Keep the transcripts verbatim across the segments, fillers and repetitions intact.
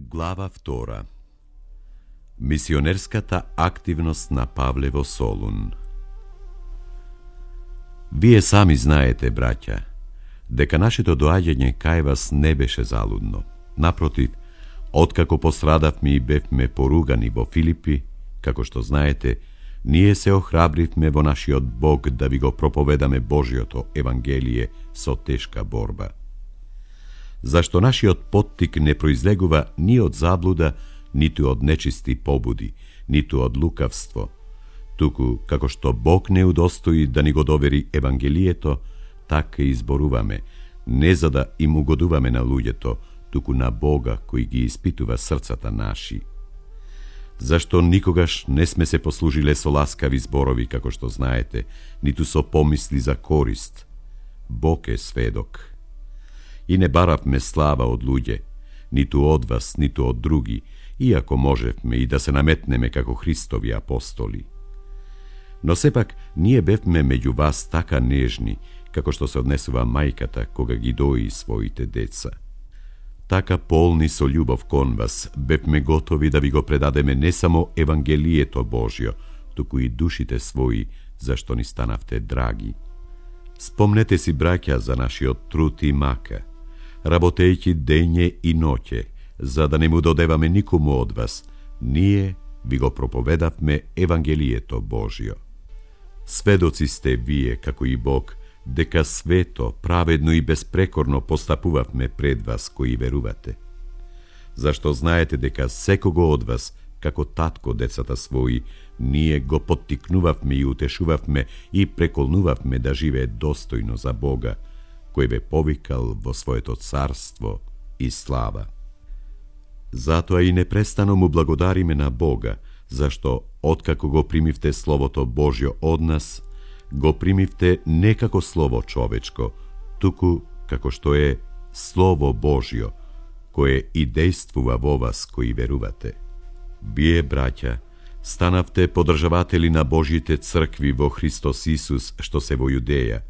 Глава втора. Мисионерската активност на Павле во Солун. Вие сами знаете, браќа, дека нашето доаѓање кај вас не беше залудно. Напротив, откако пострадавме и бевме поругани во Филипи, како што знаете, ние се охрабривме во нашиот Бог да ви го проповедаме Божиото Евангелие со тешка борба. Зашто нашиот поттик не произлегува ни од заблуда, ниту од нечисти побуди, ниту од лукавство, туку како што Бог не удостои да ни го довери Евангелието, така и изборуваме, не за да им угодуваме на луѓето, туку на Бога кој ги испитува срцата наши. Зашто никогаш не сме се послужиле со ласкави зборови, како што знаете, ниту со помисли за корист. Бог е сведок. И не баравме слава од луѓе, ниту од вас, ниту од други, иако можевме и да се наметнеме како Христови апостоли. Но сепак ние бевме меѓу вас така нежни, како што се однесува мајката кога ги дои своите деца. Така полни со љубов кон вас, бевме готови да ви го предадеме не само Евангелието Божјо, туку и душите своји, зашто ни станавте драги. Спомнете си, браќа, за нашиот труд и мака, работејќи дење и ноќе, за да не му додеваме никому од вас, ние ви го проповедавме Евангелието Божјо. Сведоци сте вие, како и Бог, дека свето, праведно и безпрекорно постапувавме пред вас кои верувате. Зашто знаете дека секого од вас, како татко децата своји, ние го поттикнувавме и утешувавме и преколнувавме да живее достојно за Бога, кој ве повикал во своето царство и слава. Затоа и непрестано му благодариме на Бога, зашто откако го примивте Словото Божјо од нас, го примивте не како слово човечко, туку како што е Слово Божјо, кое и действува во вас кои верувате. Вие, браќа, станавте подржаватели на Божјите цркви во Христос Исус, што се во Јудеја,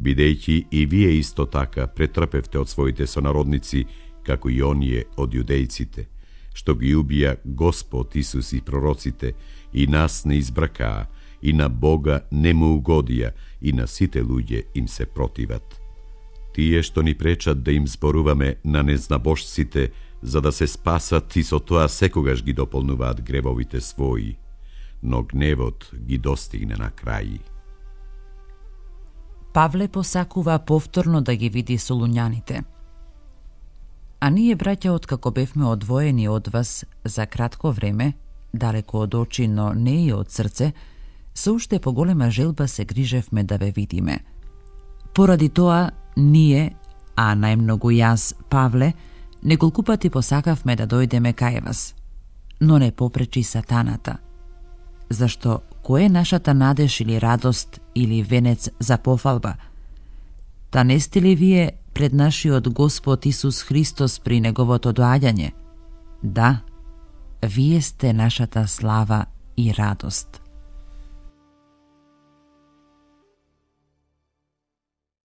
бидејќи и вие исто така претрпевте од своите сонародници, како и оние од јудејците, што ги убија Господ Исус и пророците, и нас не избракаа, и на Бога не му угодија, и на сите луѓе им се противат. Тие што ни пречат да им зборуваме на незнабожците, за да се спасат и со тоа секогаш ги дополнуваат гревовите своји, но гневот ги достигне на крај. Павле посакува повторно да ги види солуњаните. А ние, браќа, откако бевме одвоени од вас за кратко време, далеко од очи, но не и од срце, со уште поголема желба се грижевме да ве видиме. Поради тоа, ние, а најмногу јас, Павле, неколку пати посакавме да дојдеме кај вас, но не попречи сатаната. Зашто кој е нашата надеж или радост или венец за пофалба? Та не сте ли вие пред нашиот Господ Исус Христос при неговото доаѓање? Да, вие сте нашата слава и радост.